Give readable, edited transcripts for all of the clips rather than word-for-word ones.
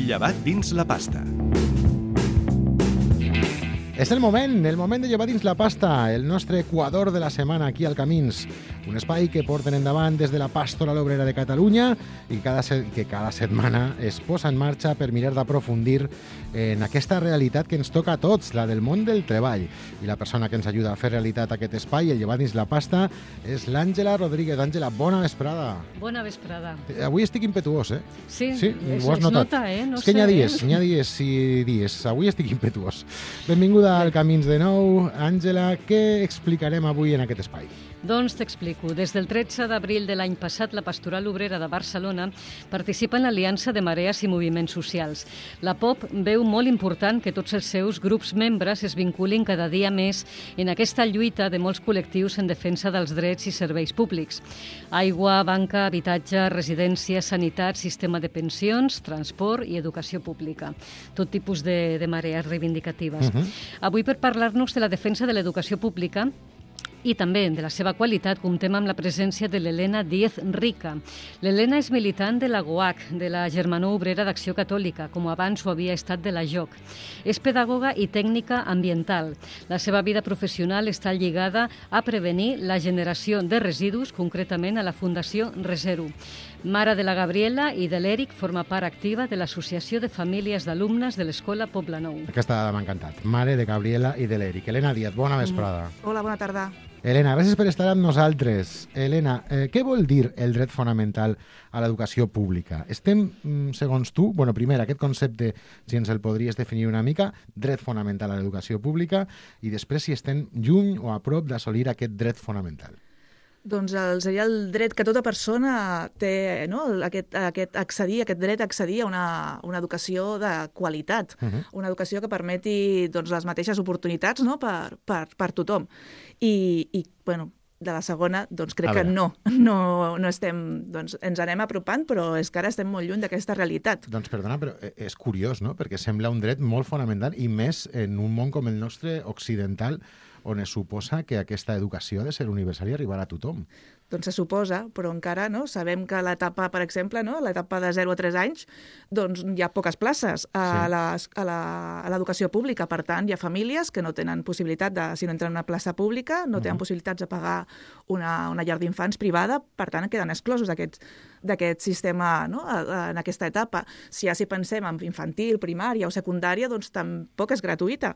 Llevat dins la pasta. És el moment de llevar dins la pasta, el nostre equador de la setmana aquí al Camins. Un espai que porten endavant des de la Pastoral Obrera de Catalunya i que cada setmana es posa en marxa per mirar d'aprofundir en aquesta realitat que ens toca a tots, la del món del treball. I la persona que ens ajuda a fer realitat aquest espai, el llevar dins la pasta, és l'Àngela Rodríguez. Àngela, bona vesprada. Bona vesprada. Avui estic impetuós, eh? Sí, ho has notat. Nota, eh? No és que sé, n'hi ha dies i dies. Avui estic impetuós. Benvinguda al Camins de nou. Àngela, què explicarem avui en aquest espai? Doncs t'explico. Des del 13 d'abril de l'any passat, la Pastoral Obrera de Barcelona participa en l'Aliança de Marees i Moviments Socials. La POP veu molt important que tots els seus grups membres es vinculin cada dia més en aquesta lluita de molts col·lectius en defensa dels drets i serveis públics. Aigua, banca, habitatge, residència, sanitat, sistema de pensions, transport i educació pública. Tot tipus de marees reivindicatives. Avui, per parlar-nos de la defensa de l'educació pública, i també de la seva qualitat, comptem amb la presència de l'Helena Díez Rica. L'Helena és militant de la GOAC, de la Germanor Obrera d'Acció Catòlica, com abans ho havia estat de la JOC. És pedagoga i tècnica ambiental. La seva vida professional està lligada a prevenir la generació de residus, concretament a la Fundació Resero. Mare de la Gabriela i de l'Eric, forma part activa de l'Associació de Famílies d'Alumnes de l'Escola Poblenou. Aquesta dada m'ha encantat. Mare de Gabriela i de l'Eric. Helena Díaz, bona vesprada. Hola, bona tarda. Helena, gràcies per estar amb nosaltres. Helena, què vol dir el dret fonamental a l'educació pública? Estem, segons tu, primer, aquest concepte, si ens el podries definir una mica, dret fonamental a l'educació pública, i després si estem lluny o a prop d'assolir aquest dret fonamental. Doncs seria el dret que tota persona té, no? aquest dret a accedir a una educació de qualitat, una educació que permeti les mateixes oportunitats, no? per tothom. I de la segona, crec que no estem, ens anem apropant, però és que ara estem molt lluny d'aquesta realitat. Doncs perdona, però és curiós, no? Perquè sembla un dret molt fonamental i més en un món com el nostre occidental, on es suposa que aquesta educació ha de ser universal i arribar a tothom. Doncs se suposa, però encara sabem que l'etapa, per exemple, l'etapa de 0 a 3 anys, hi ha poques places a l'educació pública. Per tant, hi ha famílies que no tenen possibilitat si no entren en una plaça pública, no tenen possibilitats de pagar una llar d'infants privada, per tant, queden exclosos d'aquest sistema, no? En aquesta etapa. Si pensem en infantil, primària o secundària, tampoc és gratuïta.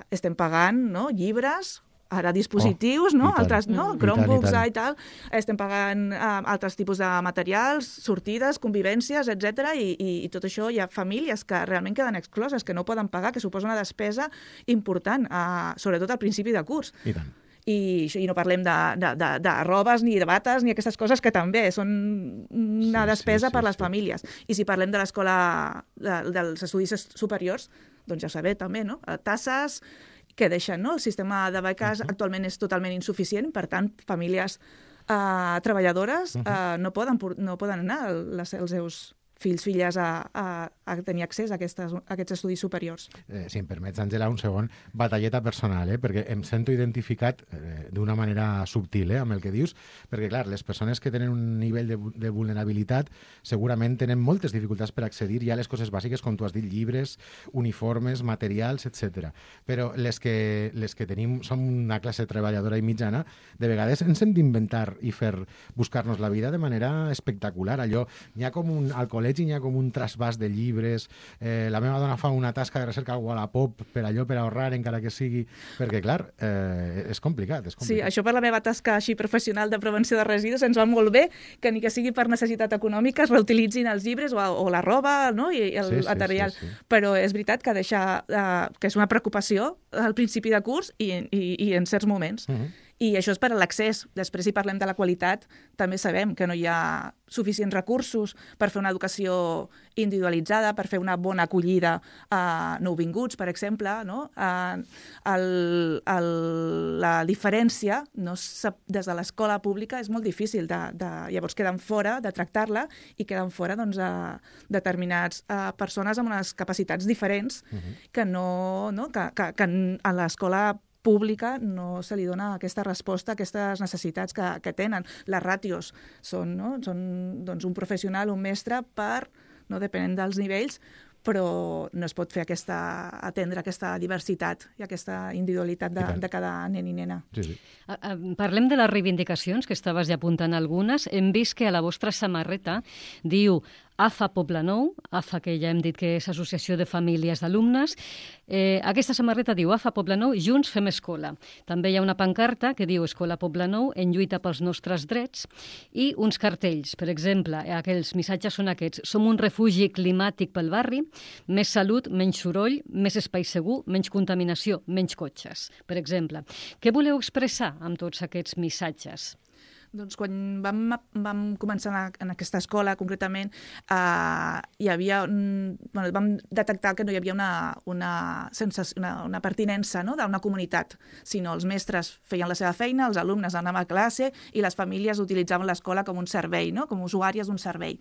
Estem pagant llibres, ara dispositius, altres, Chromebooks i tal, estem pagant altres tipus de materials, sortides, convivències, etc. I tot això hi ha famílies que realment queden excloses, que no poden pagar, que suposa una despesa important, sobretot al principi de curs. I tant. I no parlem de robes, ni de bates, ni aquestes coses que també són una despesa per les famílies. I si parlem de l'escola dels estudis superiors, doncs ja ho sabeu també, no? Tasses que deixen, no? El sistema de beques actualment és totalment insuficient, per tant, famílies treballadores no poden anar els seus fills, filles a tenir accés a aquests estudis superiors. Si em permets, Àngela, un segon, batalleta personal, perquè em sento identificat d'una manera subtil amb el que dius, perquè, clar, les persones que tenen un nivell de vulnerabilitat segurament tenen moltes dificultats per accedir ja a les coses bàsiques, com tu has dit, llibres, uniformes, materials, etc. Però les que som una classe treballadora i mitjana, de vegades ens hem d'inventar i buscar-nos la vida de manera espectacular. Allò, n'hi ha com al col·legi n'hi ha com un trasbàs de llibres, la meva dona fa una tasca de recerca a Wallapop per ahorrar, encara que sigui, perquè, clar, és complicat. Sí, això per la meva tasca així professional de prevenció de residus ens va molt bé, que ni que sigui per necessitat econòmica es reutilitzin els llibres o la roba, no? I el material. Sí. Però és veritat que que és una preocupació al principi de curs i en certs moments. I això és per a l'accés. Després, si parlem de la qualitat, també sabem que no hi ha suficients recursos per fer una educació individualitzada, per fer una bona acollida a nouvinguts, per exemple. No? La diferència des de l'escola pública és molt difícil. Llavors queden fora de tractar-la i queden fora determinats persones amb unes capacitats diferents que a l'escola pública no se li dona aquesta resposta a aquestes necessitats que tenen. Les ràtios són un professional, un mestre per no? Depenent dels nivells, però no es pot fer atendre aquesta diversitat i aquesta individualitat de cada nen i nena. Sí. Parlem de les reivindicacions, que estaves ja apuntant algunes. Hem vist que a la vostra samarreta diu AFA Poblenou, AFA que ja hem dit que és Associació de Famílies d'Alumnes. Aquesta samarreta diu AFA Poblenou, Junts fem escola. També hi ha una pancarta que diu Escola Poblenou en lluita pels nostres drets i uns cartells. Per exemple, aquells missatges són aquests. Som un refugi climàtic pel barri, més salut, menys soroll, més espai segur, menys contaminació, menys cotxes, per exemple. Què voleu expressar amb tots aquests missatges? Doncs quan vam començar en aquesta escola, concretament, hi havia vam detectar que no hi havia una pertinença, no?, d'una comunitat, sinó els mestres feien la seva feina, els alumnes anaven a classe i les famílies utilitzaven l'escola com un servei, no?, com usuàries d'un servei.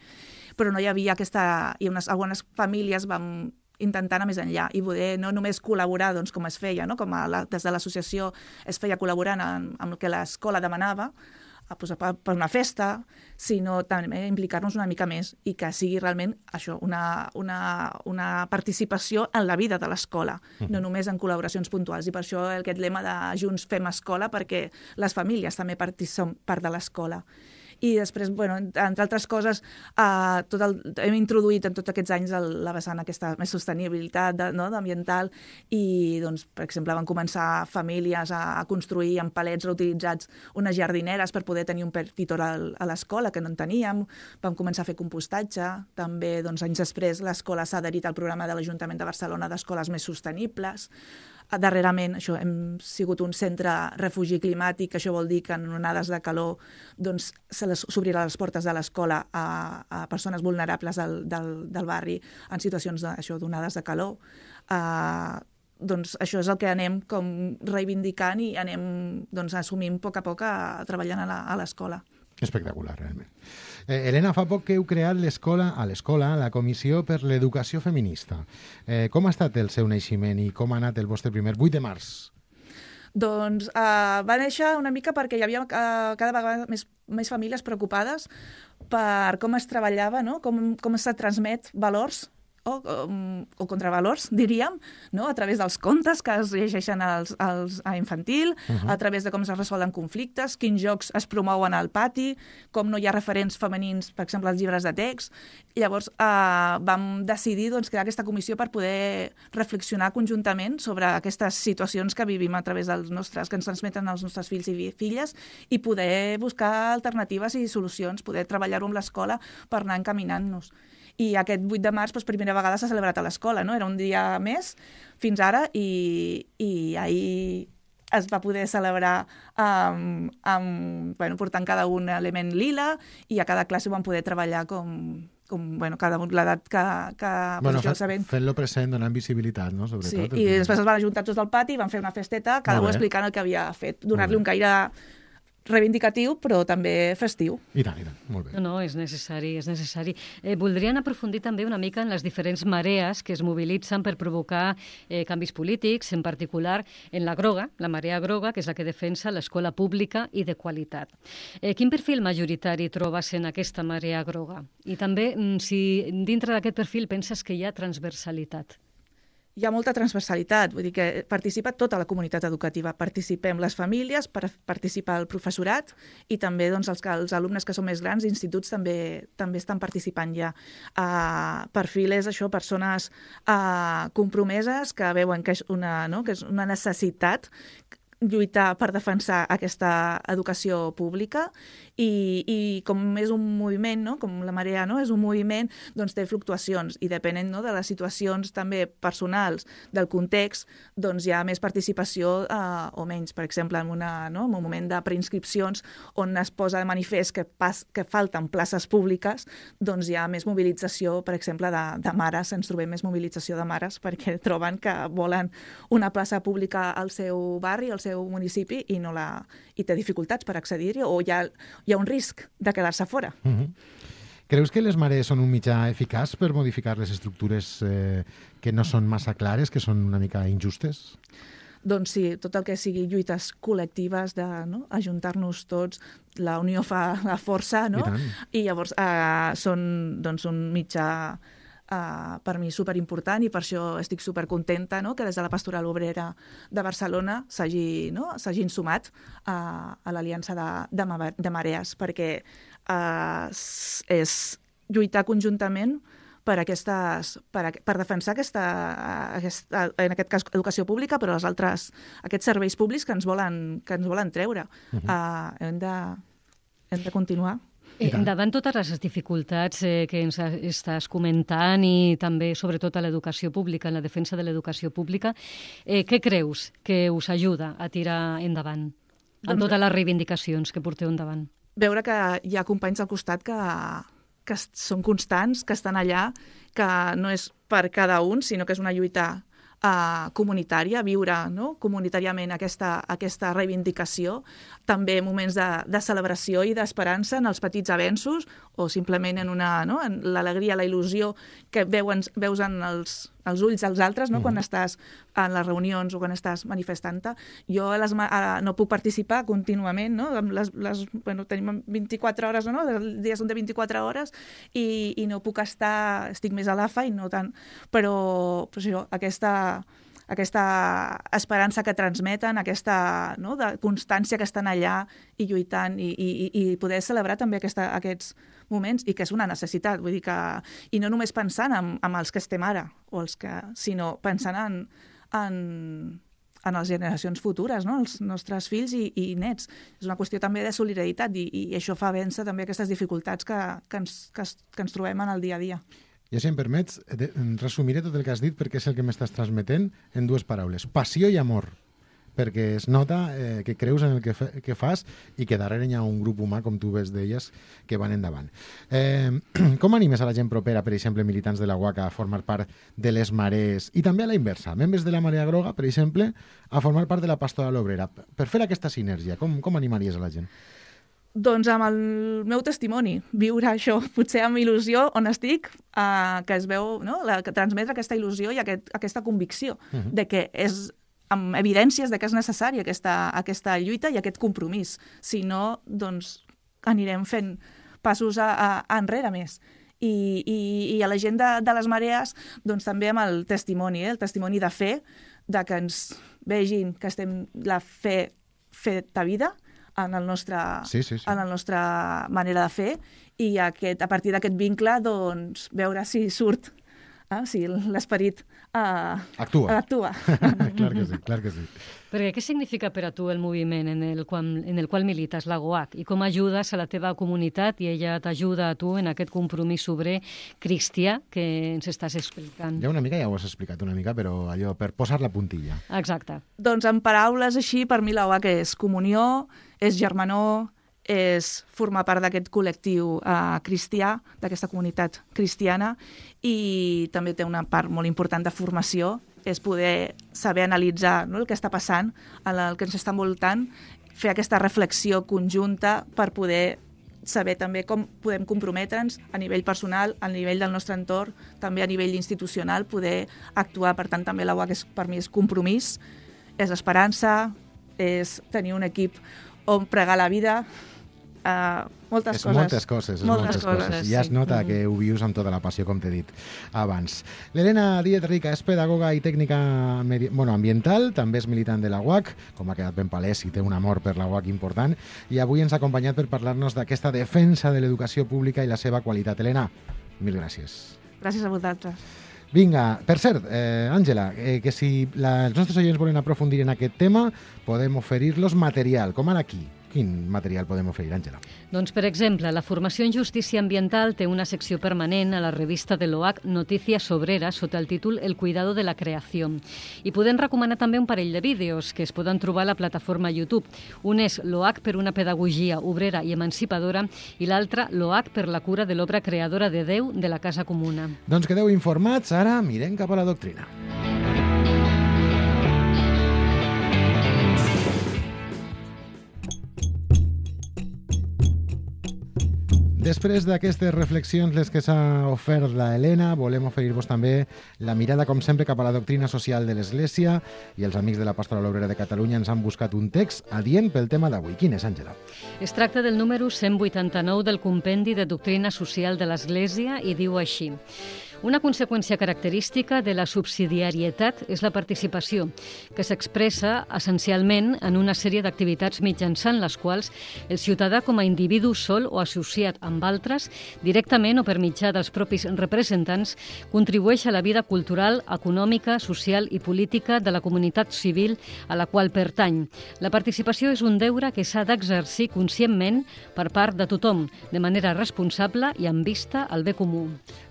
Però no hi havia i algunes famílies vam intentar anar més enllà i poder no només col·laborar doncs, com es feia, no? Com des de l'associació es feia col·laborant amb el que l'escola demanava, per una festa, sinó també implicar-nos una mica més i que sigui realment això, una participació en la vida de l'escola, no només en col·laboracions puntuals. I per això aquest lema de Junts fem escola, perquè les famílies també són part de l'escola. I després, entre altres coses, hem introduït en tots aquests anys la vessant aquesta més sostenibilitat ambiental i, doncs, per exemple, van començar famílies a construir amb palets reutilitzats unes jardineres per poder tenir un petitor a l'escola, que no en teníem. Vam començar a fer compostatge. També, anys després, l'escola s'ha adherit al programa de l'Ajuntament de Barcelona d'Escoles Més Sostenibles. Darrerament hem sigut un centre refugi climàtic, això vol dir que en onades de calor s'obrirà les portes de l'escola a persones vulnerables del barri en situacions d'onades de calor. Doncs això és el que anem com reivindicant i anem assumint a poc treballant a l'escola. Espectacular, realment. Helena, fa poc que heu creat a l'escola la Comissió per l'Educació Feminista. Com ha estat el seu naixement i com ha anat el vostre primer 8 de març? Doncs va néixer una mica perquè hi havia cada vegada més famílies preocupades per com es treballava, no? Com es transmet valors o contravalors, diríem, no? A través dels contes que es llegeixen a infantil, a través de com es resolen conflictes, quins jocs es promouen al pati, com no hi ha referents femenins, per exemple, als llibres de text. Llavors vam decidir crear aquesta comissió per poder reflexionar conjuntament sobre aquestes situacions que vivim a través que ens transmeten els nostres fills i filles i poder buscar alternatives i solucions, poder treballar-ho amb l'escola per anar encaminant-nos. I aquest 8 de març, per primera vegada, s'ha celebrat a l'escola, no? Era un dia més fins ara i ahir es va poder celebrar portant cada un element lila i a cada classe ho vam poder treballar com cada l'edat que fent-lo present, donant visibilitat, no? Sobretot. Sí, i després es van ajuntar tots al pati i van fer una festeta, cada un explicant el que havia fet, donar-li un caire reivindicatiu, però també festiu. I tant, molt bé. No, és necessari, és necessari. Voldrien aprofundir també una mica en les diferents marees que es mobilitzen per provocar canvis polítics, en particular en la groga, la marea groga, que és la que defensa l'escola pública i de qualitat. Quin perfil majoritari trobes en aquesta marea groga? I també, si dintre d'aquest perfil penses que hi ha transversalitat? Hi ha molta transversalitat, vull dir que participa tota la comunitat educativa. Participem les famílies, participa el professorat i també els alumnes que són més grans, instituts també estan participant ja. Perfil és això, persones compromeses que veuen que és una necessitat lluitar per defensar aquesta educació pública i com és un moviment, no? Com la marea, no? És un moviment, doncs té fluctuacions i depenent, no, de les situacions també personals, del context, doncs hi ha més participació o menys. Per exemple, en un moment de preinscripcions on es posa de manifest que falten places públiques, doncs hi ha més mobilització, per exemple, de mares. Ens trobem més mobilització de mares perquè troben que volen una plaça pública al seu barri, al seu municipi i té dificultats per accedir-hi o hi ha un risc de quedar-se fora. Creus que les marees són un mitjà eficaç per modificar les estructures que no són massa clares, que són una mica injustes? Doncs sí, tot el que sigui lluites col·lectives, ajuntar-nos tots, la unió fa la força, no? I llavors són un mitjà per mi superimportant i per això estic supercontenta, no?, que des de la Pastoral Obrera de Barcelona s'hagin sumat a l'Aliança de Marees, perquè és lluitar conjuntament per defensar en aquest cas, educació pública, però aquests serveis públics que ens volen treure. Hem de continuar. Davant totes les dificultats que ens estàs comentant i també, sobretot, a l'educació pública, en la defensa de l'educació pública, què creus que us ajuda a tirar endavant en totes les reivindicacions que porteu endavant? Veure que hi ha companys al costat que són constants, que estan allà, que no és per cada un, sinó que és una lluita comunitària, viure comunitàriament aquesta reivindicació, també moments de celebració i d'esperança en els petits avenços o simplement en l'alegria, la il·lusió que veus en els ulls dels altres quan estàs en les reunions o quan estàs manifestant-te. Jo no puc participar contínuament, tenim 24 hores, els dies són de 24 hores i no puc estic més a l'AFA i no tant, però aquesta esperança que transmeten, aquesta de constància que estan allà i lluitant i poder celebrar també aquests moments i que és una necessitat, vull dir que i no només pensant en els que estem ara sinó pensant en les generacions futures, els nostres fills i nets. És una qüestió també de solidaritat i això fa vèncer també aquestes dificultats que ens trobem en el dia a dia. Jo, si em permets, resumiré tot el que has dit perquè és el que m'estàs transmetent en dues paraules. Passió i amor, perquè es nota que creus en el que fas i que darrere hi ha un grup humà, com tu bé deies, que van endavant. Com animes a la gent propera, per exemple, militants de la UAC, a formar part de les Marees i també a la inversa, membres de la Marea Groga, per exemple, a formar part de la Pastoral Obrera? Per fer aquesta sinergia, com animaries a la gent? Doncs amb el meu testimoni, viure això, potser amb il·lusió on estic, que es veu, que transmetre aquesta il·lusió i aquesta convicció de que és, amb evidències de que és necessària aquesta lluita i aquest compromís. Si no, doncs anirem fent passos enrere més. I a la gent de les Marees, doncs també amb el testimoni de fe, de que ens vegin que estem la fe feta vida, en la nostra manera de fer i a partir d'aquest vincle doncs, veure si surt, si l'esperit actua. Clar que sí. Perquè què significa per a tu el moviment en el qual milites, la GOAC, i com ajudes a la teva comunitat i ella t'ajuda a tu en aquest compromís obrer cristià que ens estàs explicant? Ja ho has explicat una mica, però allò per posar la puntilla. Exacte. Doncs en paraules així, per mi la GOAC és comunió, és germanor, és formar part d'aquest col·lectiu cristià, d'aquesta comunitat cristiana, i també té una part molt important de formació, és poder saber analitzar el que està passant, el que ens està envoltant, fer aquesta reflexió conjunta per poder saber també com podem comprometre'ns a nivell personal, a nivell del nostre entorn, també a nivell institucional, poder actuar. Per tant, també la UAC per mi és compromís, és esperança, és tenir un equip on pregar la vida, moltes coses. Ja es nota que ho vius amb tota la passió, com t'he dit abans. L'Helena Díez Rica és pedagoga i tècnica ambiental, també és militant de la UAC, com ha quedat ben palès i té un amor per la UAC important, i avui ens ha acompanyat per parlar-nos d'aquesta defensa de l'educació pública i la seva qualitat. Helena, mil gràcies. Gràcies a vosaltres. Vinga, per cert, Àngela, que si els nostres oients volen aprofundir en aquest tema, podem oferir-los material, com ara aquí. Quin material podem oferir, Àngela? Doncs, per exemple, la Formació en Justícia Ambiental té una secció permanent a la revista de l'OAC Noticias Obreras sota el títol El cuidado de la creació. I podem recomanar també un parell de vídeos que es poden trobar a la plataforma YouTube. Un és l'OAC per una pedagogia obrera i emancipadora i l'altre l'OAC per la cura de l'obra creadora de Déu de la Casa Comuna. Doncs quedeu informats, ara mirem cap a la doctrina. Després d'aquestes reflexions, les que s'ha ofert la Helena, volem oferir-vos també la mirada, com sempre, cap a la doctrina social de l'Església, i els amics de la Pastoral Obrera de Catalunya ens han buscat un text adient pel tema d'avui. Quin és, Àngela? Es tracta del número 189 del Compendi de Doctrina Social de l'Església i diu així: Una conseqüència característica de la subsidiarietat és la participació, que s'expressa essencialment en una sèrie d'activitats mitjançant les quals el ciutadà com a individu sol o associat amb altres, directament o per mitjà dels propis representants, contribueix a la vida cultural, econòmica, social i política de la comunitat civil a la qual pertany. La participació és un deure que s'ha d'exercir conscientment per part de tothom, de manera responsable i amb vista al bé comú.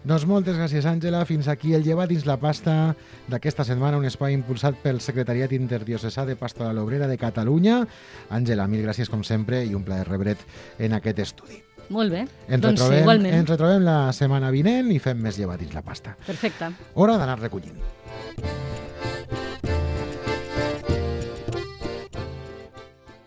Doncs moltes gràcies, Àngela. Fins aquí el Lleva dins la pasta d'aquesta setmana, un espai impulsat pel Secretariat Interdiocesà de Pastoral Obrera de Catalunya. Àngela, mil gràcies com sempre i un plaer rebre't en aquest estudi. Molt bé, Ens igualment. retrobem la setmana vinent i fem més Lleva dins la pasta. Perfecte. Hora d'anar recollint.